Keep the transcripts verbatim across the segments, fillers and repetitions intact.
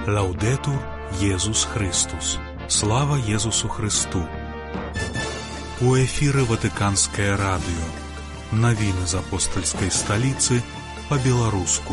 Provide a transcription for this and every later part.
Лаўдэтур Езус Христус. Слава Езусу Христу. У эфіры Ватыканскае радыё. Навіны з апостальскай сталіцы па-беларуску.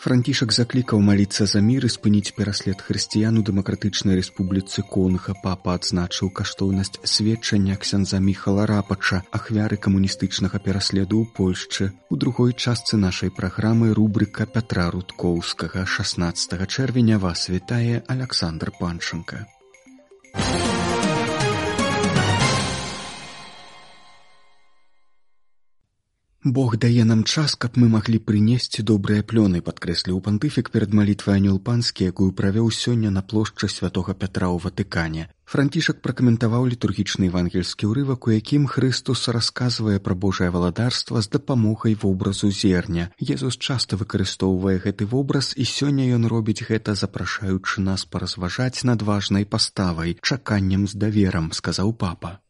Францішак заклікаў маліцца за мір і спыніць пераслед хрысціян у Дэмакратычнай Рэспубліцы Конга. Папа адзначыў каштоўнасць сведчання ксяндза Міхала Рапача, ахвяры камуністычнага пераследу ў Польшчы. У другой частцы нашай праграмы рубрыка Пятра Рудкоўскага. шаснаццатага чэрвеня вас вітае Аляксандр Панченка. Бог дае нам час, каб мы маглі прынесці добрыя плёны, падкрэсліў пантыфік перад малітвай Анёл Панскі, якую правёў сёння на плошчы святога Пятра ў Ватыкане. Францішак пракаментаваў літургічны евангельскі ўрывак, у якім Хрыстус расказвае пра Божае валадарства з дапамогай вобразу зерня. Езус часта выкарыстоўвае гэты вобраз, і сёння ён робіць гэта, запрашаючы нас паразважаць над важнай паставай, чаканнем з даверам, сказаў папа.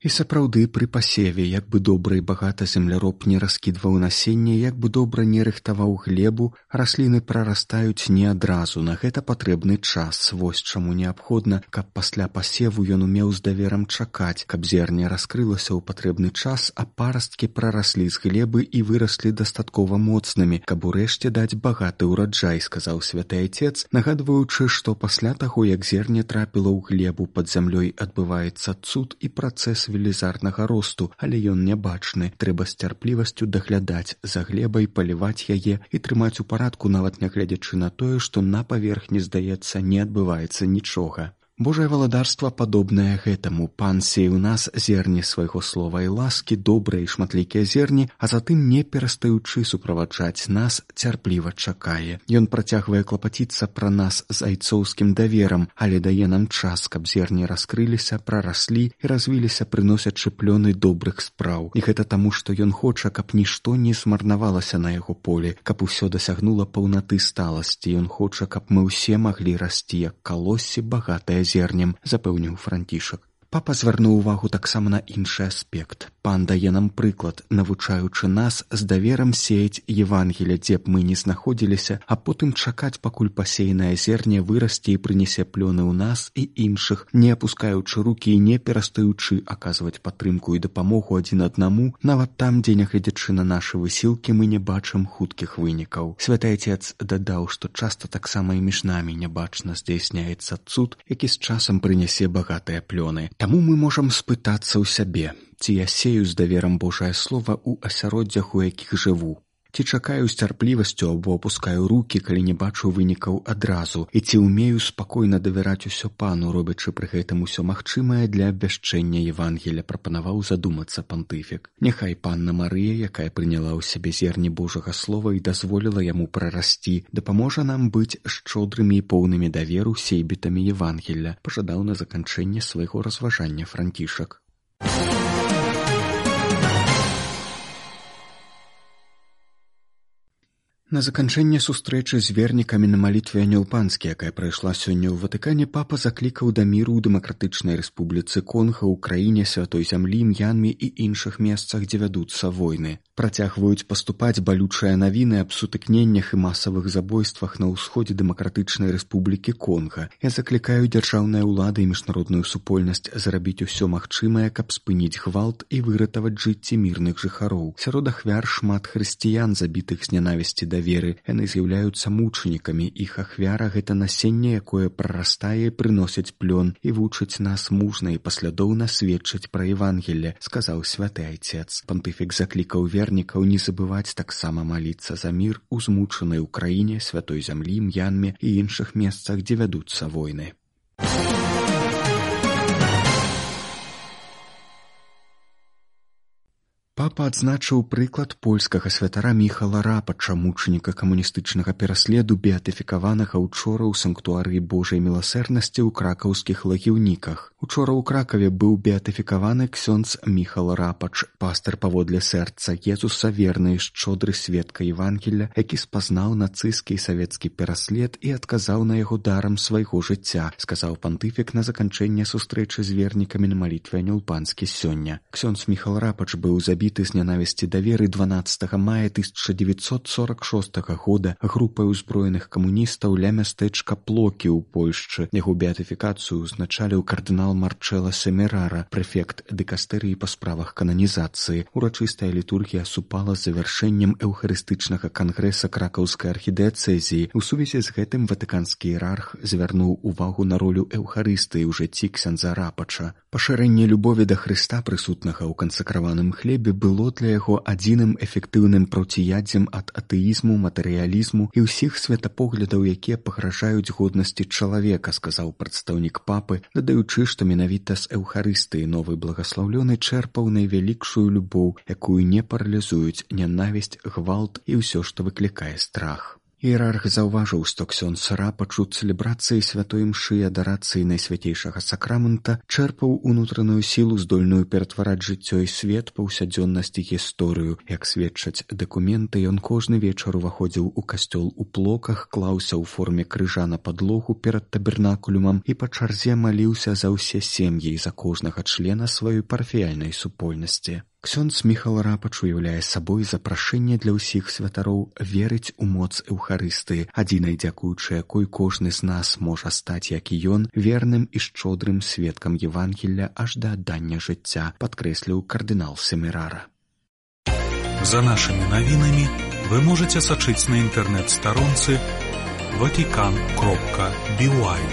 І сапраўды, пры пасеве, як бы добра і багата земляроб не раскідваў насенне, як бы добра не рыхтаваў глебу, расліны прарастаюць не адразу, на гэта патрэбны час. Вось чаму неабходна, каб пасля пасеву ён умеў з даверам чакаць, каб зерне раскрылася ў патрэбны час, а парасткі прараслі з глебы і выраслі дастаткова моцнымі, каб урэшце даць багаты ўраджай, сказаў святы Айцец, нагадваючы, што пасля таго, як зерне трапіла ў глебу, пад зямлёй адбываецца цуд і працэс велізарнага росту, але ён нябачны. Трэба з цярплівасцю даглядаць за глебай, паліваць яе і трымаць у парадку, нават нягледзячы на тое, што на паверхні, здаецца, не адбываецца нічога. Божае валадарства падобнае гэтаму. Пан сее ў нас зерне свайго слова і ласкі, добрыя і шматлікія зерні, а затым, не перастаючы суправаджаць нас, цярпліва чакае. Ён працягвае клапаціцца пра нас з айцоўскім даверам, але дае нам час, каб зерні раскрыліся, прараслі і развіліся, прыносячы плёны добрых спраў. І гэта таму, што ён хоча, каб нішто не змарнавалася на яго поле, каб усё дасягнула паўнаты сталасці. Ён хоча, каб мы ўсе маглі расці, як калоссі, багатае зернем, запэўніў Францішак. Папа звярнуў увагу таксама на іншы аспект. Пан дае нам прыклад, навучаючы нас з даверам сеяць Евангелле, дзе б мы не знаходзіліся, а потым чакаць, пакуль пасеянае зерне вырасце і прынесе плёны ў нас і іншых, не апускаючы рукі і не перастаючы аказваць падтрымку і дапамогу адзін аднаму, нават там, дзе, нягледзячы на нашы высілкі, мы не бачым хуткіх вынікаў. Святы Айцец дадаў, што часта таксама і між намі нябачна здзяйсняецца цуд, які з часам прынясе багатыя плёны. Таму мы можам спытацца ў сябе, ці я сею з даверам Божае Слова ў асяроддзях, у якіх жыву. Ці чакаю з цярплівасцю або апускаю рукі, калі не бачу вынікаў адразу, і ці ўмею спакойна давяраць усё Пану, робячы пры гэтым усё магчымае для абвяшчэння Евангелля, прапанаваў задумацца пантыфік. Няхай Панна Марыя, якая прыняла ў сябе зерне Божага Слова і дазволіла яму прарасці, дапаможа нам быць шчодрымі і поўнымі даверу сейбітамі Евангелля, пажадаў на заканчэнне свайго разважання Францішак. На заканчэнне сустрэчы з вернікамі на малітве Анёл Панскі, якая прайшла сёння ў Ватыкане, папа заклікаў да міру ў Дэмакратычнай Рэспубліцы Конга, ў краіне Святой зямлі, М'янмі і іншых месцах, дзе вядуцца войны. Працягваюць паступаць балючыя навіны аб сутыкненнях і масавых забойствах на ўсходзе Дэмакратычнай Рэспублікі Конга. Я заклікаю дзяржаўныя ўлады і міжнародную супольнасць зрабіць усё магчымае, каб спыніць гвалт і выратаваць жыцці мірных жыхароў. Сярод ахвяр шмат хрысціян, забітых з нянавісці да веры. Яны з'яўляюцца мучанікамі. Іх ахвяра — гэта насенне, якое прарастае, прыносіць плён і вучыць нас мужна і паслядоўна сведчыць пра Евангелле, сказаў святы Айцец. Пантыфік заклікаў вернікаў не забываць таксама маліцца за мір у змучанай Украіне, Святой зямлі, М'янме і іншых месцах, дзе вядуцца войны. Папа адзначыў прыклад польскага святара Міхала Рапача, мучаніка камуністычнага пераследу, беатыфікаванага учора ў санктуарыі Божай міласэрнасці ў кракаўскіх лагіўніках. Учора ў Кракаве быў беатыфікаваны ксёндз Міхал Рапач, пастыр паводле сэрца Езуса, верны і шчодры сведка Евангелля, які спазнаў нацысцкі і савецкі пераслед і адказаў на яго дарам свайго жыцця, сказаў пантыфік на заканчэнне сустрэчы з вернікамі на малітве Анёл Панскі сёння. Ксёндз Міхал Рапач быў забіты забіты з нянавісці да веры дванаццатага мая тысяча девятьсот сорок шостага года групай узброеных камуністаў ля мястэчка Плокі ў Польшчы. Яго беатыфікацыю узначаліў кардынал Марчэлла Семерара, прэфект дыкастэрыі па справах кананізацыі. Урачыстая літургія супала з завяршэннем эўхарыстычнага кангрэса кракаўскай архідыяцэзіі. У сувязі з гэтым ватыканскі іерарх звярнуў увагу на ролю эўхарыстыі ў жыцці ксяндза Рапача. Пашырэнне любові да Хрыста, прысутнага ў кансакраваным хлебе, было для яго адзіным эфектыўным проціядзем ад атэізму, матэрыялізму і ўсіх светапоглядаў, якія пагражаюць годнасці чалавека, сказаў прадстаўнік папы, дадаючы, што менавіта з эўхарыстыі новы благаслаўлёны чэрпаў найвялікшую любоў, якую не паралізуюць нянавісць, гвалт і ўсё, што выклікае страх. Іерарх заўважыў, што ксёндз Рапач у цэлебрацыі святой імшы і адарацыі найсвятейшага сакрамента чэрпаў унутраную сілу, здольную ператвараць жыццё і свет, паўсядзённасць і гісторыю. Як сведчаць дакументы, ён кожны вечар уваходзіў у касцёл у Плоках, клаўся ў форме крыжа на падлогу перад табернакулюмам і па чарзе маліўся за ўсе сем'і і за кожнага члена сваёй парафіяльнай супольнасці. Ксёндз Міхал Рапач уяўляе сабой запрашэнне для ўсіх святароў верыць у моц эўхарыстыі, адзінай дзякуючы якой кожны з нас можа стаць, як і ён, верным і шчодрым сведкам Евангелля аж да аддання жыцця, падкрэсліў кардынал Семерара. За нашымі навінамі вы можаце сачыць на інтэрнэт-старонцы ватикан кропка би уай.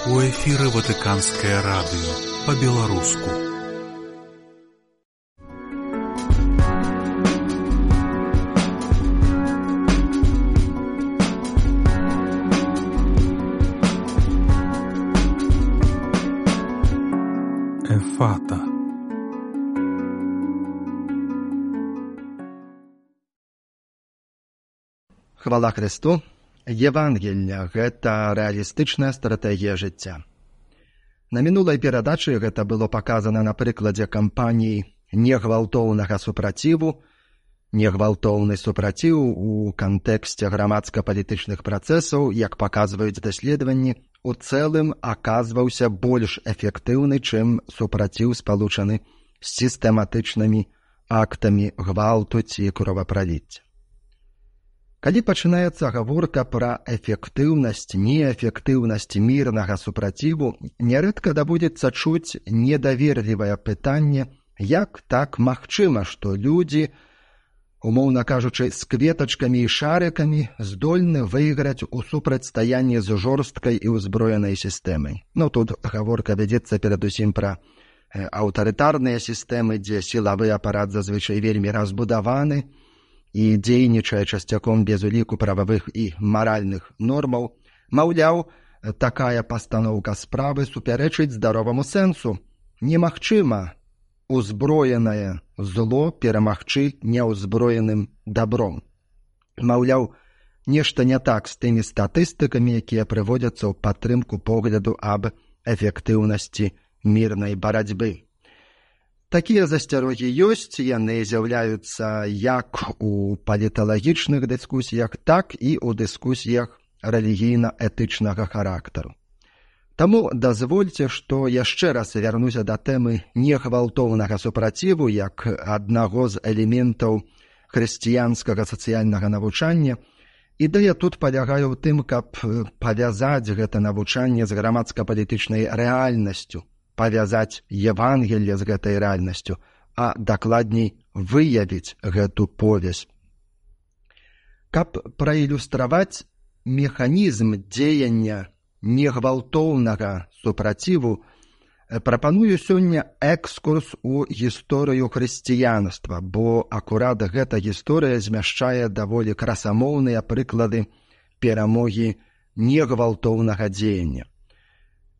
У эфіры Ватыканскае радыё па-беларуску. Ефата. Хвала Христу! Евангелля – гэта рэалістычная стратэгія жыцця. На мінулай перадачы гэта было паказана на прыкладзе кампаніі негвалтоўнага супраціву. Негвалтоўны супраціў у кантэксце грамадска-палітычных працэсаў, як паказваюць даследаванні, у цэлым аказваўся больш эфектыўны, чым супраціў спалучаны з сістэматычнымі актамі гвалту ці кровапраліцця. Калі пачынаецца гаворка пра эфектыўнасць, неэфектыўнасць мірнага супраціву, нярэдка даводзіцца чуць недаверлівае пытанне, як так магчыма, што людзі, умоўна кажучы, з кветачкамі і шарыкамі здольны выйграць у супрацьстаянні з жорсткай і ўзброенай сістэмай. Ну, тут гаворка вядзецца перадусім пра аўтарытарныя сістэмы, дзе сілавы апарат зазвычай вельмі разбудаваны і дзейнічае часцяком без уліку прававых і маральных нормаў. Маўляў, такая пастаноўка справы супярэчыць здароваму сэнсу. Немагчыма узброенае зло перамагчы няўзброеным дабром. Маўляў, нешта не так з тымі статыстыкамі, якія прыводзяцца ў падтрымку погляду аб эфектыўнасці мірнай барацьбы. Такія засцярогі ёсць, яны з'яўляюцца як у паліталагічных дыскусіях, так і ў дыскусіях рэлігійна-этычнага характару. Таму дазвольце, што яшчэ раз вярнуся да тэмы негвалтоўнага супраціву як аднаго з элементаў хрысціянскага сацыяльнага навучання. Ідэя тут палягае ў тым, каб павязаць гэта навучанне з грамадска-палітычнай рэальнасцю, павязаць Евангелле з гэтай рэальнасцю, а дакладней выявіць гэту повязь. Каб праілюстраваць механізм дзеяння негвалтоўнага супраціву, прапаную сёння экскурс у гісторыю хрысціянства, бо акурат гэта гісторыя змяшчае даволі красамоўныя прыклады перамогі негвалтоўнага дзеяння.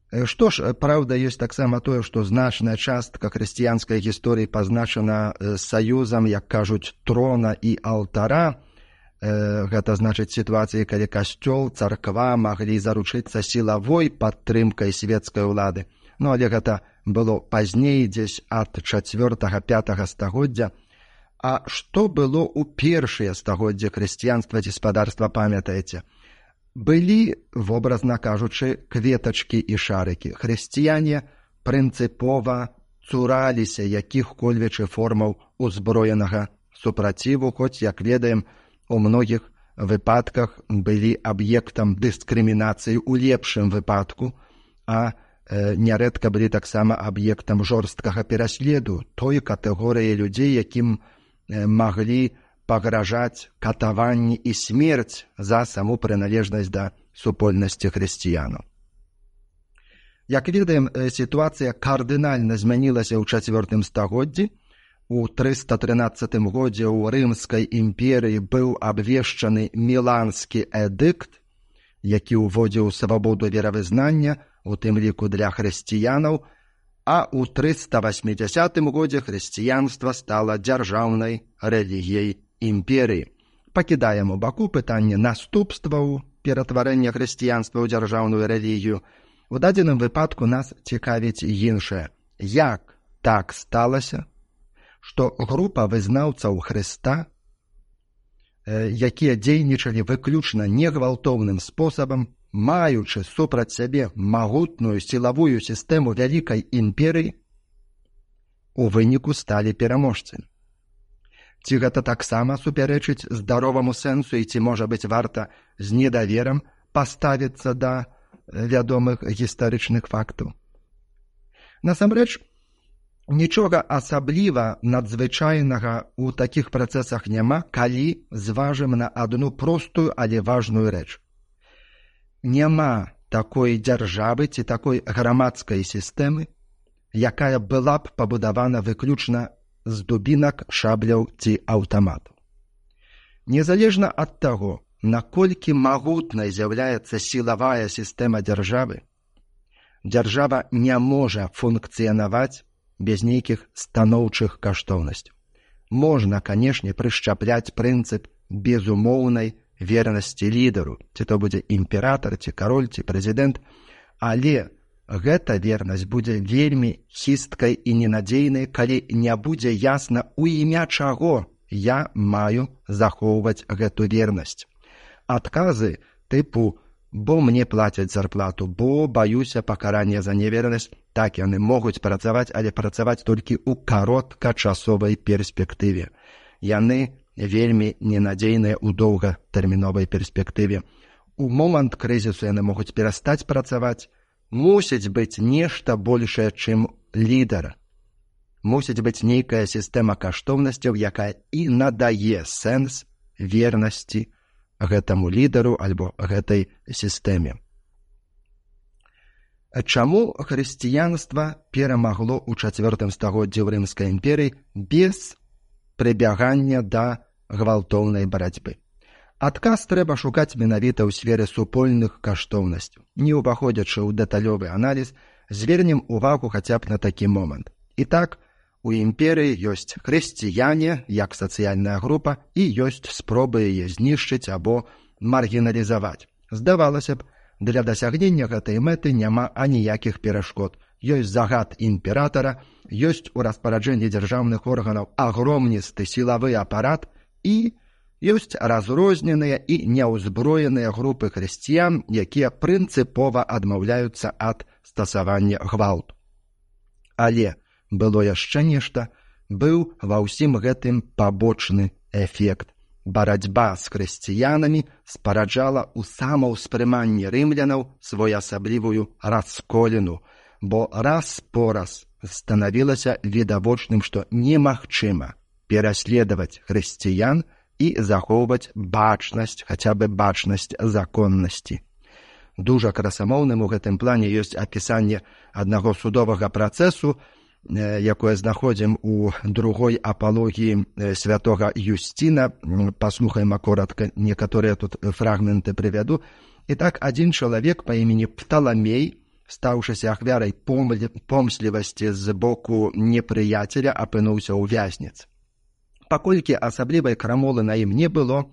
Што ж, праўда, ёсць таксама тое, што значная частка хрысціянскай гісторыі пазначана саюзам, як кажуць, трона і алтара. Гэта значыць сітуацыі, калі касцёл, царква маглі заручыцца сілавой падтрымкай свецкай улады. Ну, але гэта было пазней, дзесь ад чацвёртага-пятага стагоддзя. А што было ў першыя стагоддзі хрысціянства ці спадарства, памятаеце? Былі, вобразна кажучы, кветачкі і шарыкі. Хрысціяне прынцыпова цураліся якіх-кольвечы формаў узброенага супраціву, хоць, як ведаем, у многіх выпадках былі аб'ектам дыскрымінацыі ў лепшым выпадку, а э, нярэдка былі таксама аб'ектам жорсткага пераследу той катэгорыі людзей, якім э, маглі пагражаць катаванні і смерць за саму прыналежнасць да супольнасці хрысціянаў. Як ведаем, сітуацыя кардынальна змянілася ў чацвёртым стагоддзі. У трыста трынаццатым годзе ў Рымскай імперыі быў абвешчаны Міланскі эдыкт, які ўводзіў свабоду веравызнання, у тым ліку для хрысціянаў, а ў трыста васьмідзясятым годзе хрысціянства стала дзяржаўнай рэлігіяй імперыі. Пакідаем у баку пытанне наступстваў ператварэння хрысціянства ў дзяржаўную рэлігію. У дадзеным выпадку нас цікавіць іншае. Як так сталася, што група вызнаўцаў Хрыста, якія дзейнічалі выключна негвалтоўным спосабам, маючы супраць сябе магутную сілавую сістэму вялікай імперыі, у выніку сталі пераможцамі? Ці гэта таксама супярэчыць здароваму сэнсу і ці, можа быць, варта з недаверам паставіцца да вядомых гістарычных фактаў? Насамрэч, нічога асабліва надзвычайнага ў такіх працэсах няма, калі зважым на адну простую, але важную рэч. Няма такой дзяржавы ці такой грамадскай сістэмы, якая была б пабудавана выключна з дубінак, шабляў ці аўтаматаў. Незалежна ад таго, наколькі магутнай з'яўляецца сілавая сістэма дзяржавы, дзяржава не можа функцыянаваць без нейкіх станоўчых каштоўнасцяў. Можна, канешне, прышчапляць прынцып безумоўнай вернасці лідару, ці то будзе імператар, ці кароль, ці прэзідэнт, але гэта вернасць будзе вельмі хісткай і ненадзейнай, калі не будзе ясна, у імя чаго я маю захоўваць гэту вернасць. Адказы тыпу «бо мне плацяць зарплату», «бо баюся пакарання за невернасць», так яны могуць працаваць, але працаваць толькі ў кароткачасовай перспектыве. Яны вельмі ненадзейныя ў доўгатэрміновай перспектыве. У момант крызісу яны могуць перастаць працаваць. Мусіць быць нешта большае, чым лідара. Мусіць быць нейкая сістэма каштоўнасцяў, якая і надае сэнс вернасці гэтаму лідару альбо гэтай сістэме. Чаму хрысціянства перамагло ў чацвёртым стагоддзі ў Рымскай імперыі без прыбягання да гвалтоўнай барацьбы? Адказ трэба шукаць менавіта ў сферы супольных каштоўнасцяў. Не ўваходзячы ў дэталёвы аналіз, звернем увагу хаця б на такі момант. І так, у імперыі ёсць хрысціяне, як сацыяльная група, і ёсць спробы яе знішчыць або маргіналізаваць. Здавалася б, для дасягнення гэтай мэты няма аніякіх перашкод. Ёсць загад імператара, ёсць у распараджэнні дзяржаўных органаў агромністы сілавы апарат і ёсць разрозненыя і няўзброеныя групы хрысціян, якія прынцыпова адмаўляюцца ад стасавання гвалту. Але было яшчэ нешта, быў ва ўсім гэтым пабочны эфект. Барацьба з хрысціянамі спараджала ў самаўспрыманні рымлянаў своеасаблівую расколіну. бо раз по раз станавілася відавочным, што немагчыма пераследаваць хрысціян і захоўваць бачнасць, хаця бы бачнасць законнасці. Дужа красамоўным у гэтым плане ёсць апісанне аднаго судовага працэсу, якое знаходзім у другой апалогіі святога Юсціна. Паслухаем акуратка, некаторыя тут фрагменты прывяду. І так, адзін чалавек па імені Пталамей, стаўшыся ахвярай помслівасці з боку непрыяцеля, апынуўся ў вязніцы. Паколькі асаблівай крамолы на ім не было,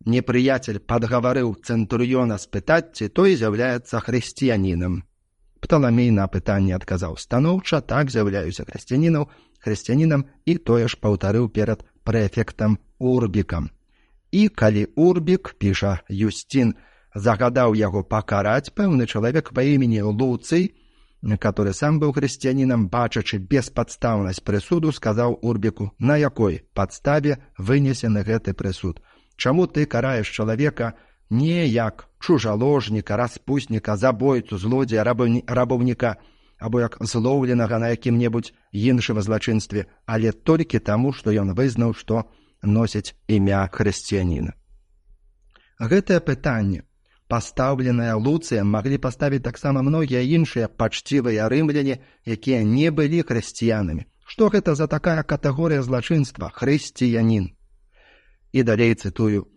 непрыяцель падгаварыў цэнтурыёна спытаць, ці той з'яўляецца хрысціянінам. Пталамей на пытанне адказаў станоўча: так, з'яўляюся хрысціянінам, хрысціянінам, і тое ж паўтарыў перад прэфектам Урбікам. І калі Урбік, піша Юсцін, загадаў яго пакараць, пэўны чалавек па імені Луцый, который сам быў хрысціянінам, бачачы беспадстаўнасць прысуду, сказаў Урбіку: на якой падставе вынесены гэты прысуд? Чаму ты караеш чалавека не як чужаложніка, распусніка, забойцу, злодзея, рабаўніка, або як злоўленага на якім-небудзь іншым злачынстве, але толькі таму, што ён вызнаў, што носіць імя хрысціяніна? Гэтае пытанне, пастаўленае Луцыем, маглі паставіць таксама многія іншыя пачцівыя рымляне, якія не былі хрысціянамі. Што гэта за такая катэгорыя злачынства — хрысціянін? І далей цытую: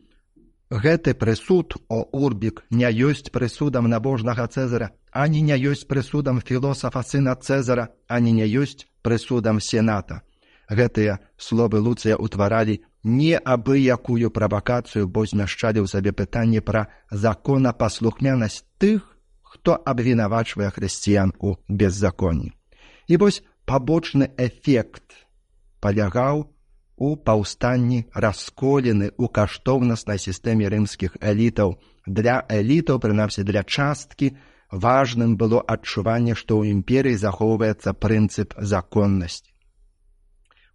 гэты прысуд, о Урбік, не ёсць прысудам набожнага Цэзара, ані не ёсць прысудам філосафа сына Цэзара, ані не ёсць прысудам сената. Гэтыя словы Луцыя ўтваралі неабыякую правакацыю, бо змяшчалі ў сабе пытанне пра законапаслухмянасць тых, хто абвінавачвае хрысціян у беззаконні. І вось пабочны эфект палягаў у паўстанні расколіны ў каштоўнаснай сістэме рымскіх элітаў. Для элітаў, прынамсі для часткі, важным было адчуванне, што ў імперыі захоўваецца прынцып законнасці.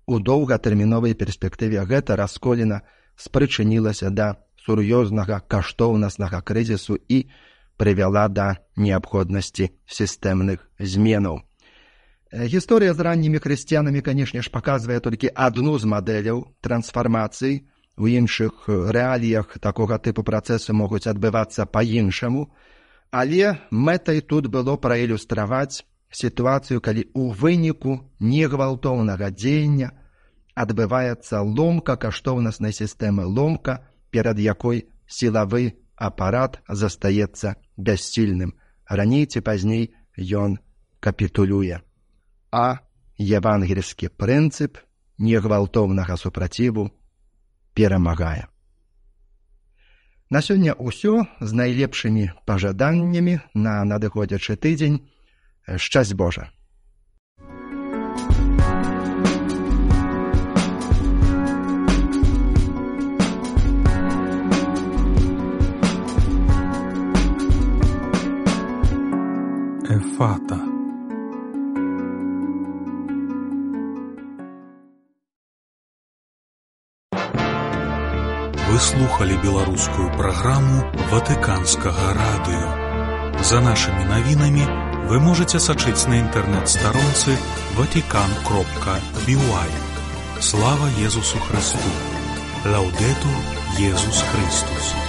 У доўгатэрміновай перспектыве гэта расколіна спрычынілася да сур'ёзнага каштоўнаснага крызісу і прывяла да неабходнасці сістэмных зменаў. Гісторыя з раннімі хрысціянамі, канешне ж, паказвае толькі адну з мадэляў трансфармацыі. У іншых рэаліях такога тыпу працэсы могуць адбывацца па-іншаму, але мэтай тут было праілюстраваць сітуацыю, калі ў выніку негвалтоўнага дзеяння адбываецца ломка каштоўнаснай сістэмы, ломка, перад якой сілавы апарат застаецца бяссільным. Раней ці пазней ён капітулюе. А евангельскі прынцып негвалтоўнага супраціву перамагае. На сёння ўсё. З найлепшымі пажаданнямі на надыходзячы тыдзень. Шчасць Божа! Эфата. Вы слухали беларускую праграму Ватыканскага радыё. За нашымі навінамі вы можете сачыць на інтэрнэт-старонцы ватикан кропка би уай. Слава Езусу Христу! Лаудетур Езус Христус!